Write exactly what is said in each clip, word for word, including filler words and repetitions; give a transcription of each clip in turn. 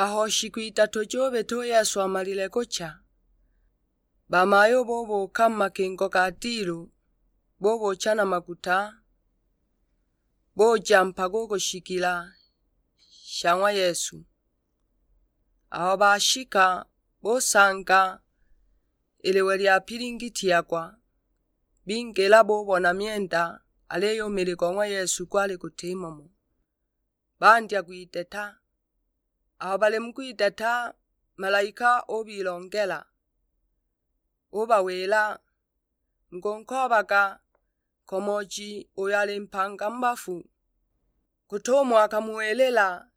Aho shiku idatu jubita u Yesu amalile kucha, bamayu bubuuka mu makingo ga dilu, bubucha na maguta, buja mpaka u ku shigila sha ng'wa Yesu. Aho bashika, busanga i liwe lyapilingitiagwa, bingila bubona myenda, aliyo u mili go ng'wa Yesu gwali gutimo mo. Bandya gwiteta. Aho bali mu kwiteta, malaika ubilongela, ubawila, "Mukunkoobaga nkomooji uyo ali mpanga mu bafu, gut'umo akamuwilila,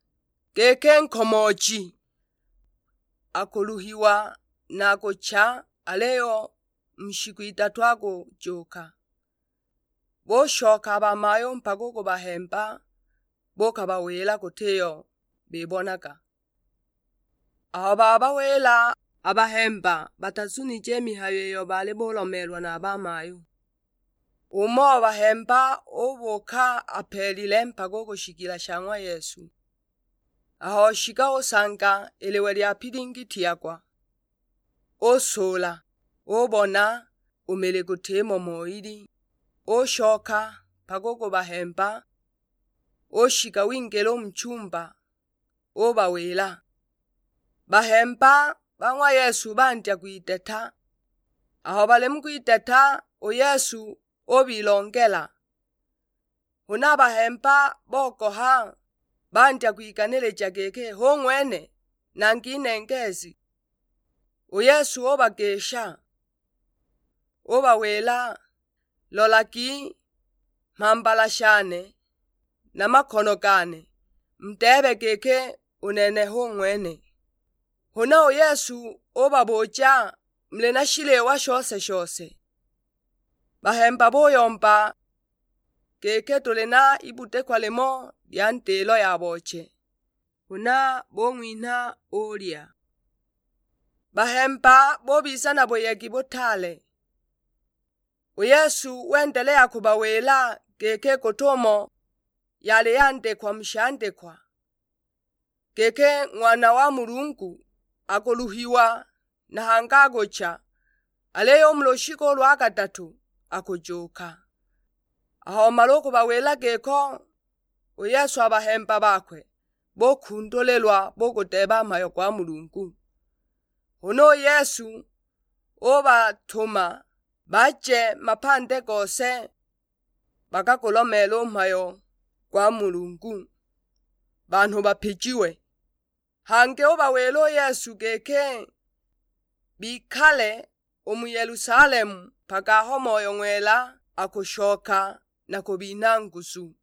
giki nkomooji akuluhiwa na kucha, aliyo mu shiku idatu akujuuka." Bushoka a bamayu mpaka u ku bahemba, bukabawila gutiyo bibonaga. Aho babawila a bahemba, batazunije i mihayo iyo bali bulomeelwa na a bamayu. Umo wa bahemba ubuuka apeelile mpaka u ku shigila sha ng'wa Yesu. Aho oshika usanga i liwe lyapilingitiagwa. Usuula, ubona u mili gutimo mo ili. Ushoka mpaka u ku bahemba, ushika wingila u mu chumba, ubawila. Bahemba ba ng'wa Yesu bandya kwiteta. Aho bali mu kwiteta, u Yesu ubilongela. Huna a bahemba bogoha, bandya kwiganilija giki, "Hu ng'wene, nangi nengeezi!" U Yesu ubagisha, ubawila, "Lolagi mhambala shane na makono gane, mudeebe giki u nene hu ng'wene." Huna u Yesu ubabuja, "Muli na shiliwa shose-shose?" Bahemba buyomba giki, "Tuli na ibudikwa limo lya ndilo ya booche." Huna bung'winha ulya. Bahemba bubiza na buyegi butaale. U Yesu wendelea kubawila giki gut'umo yali yandikwa mu shandikwa, giki Ng'wana wa Mulungu akuluhiwa na hangi akucha, aliyo u mu lushiku lwa kadatu akujuuka. Aho omala u kubawila giko, u Yesu a bahemba bakwe bukundulilwa bugudeeba mhayo gwa Mulungu. Huna u Yesu ubatuma baje mapande gose bakagulomeela u mhayo gwa Mulungu, banhu bapijiwe. Hangi ubawila u Yesu giki bikale u mu Yelusalemu mpaka aho Moyo Ng'wela akushoka na kubinha nguzu.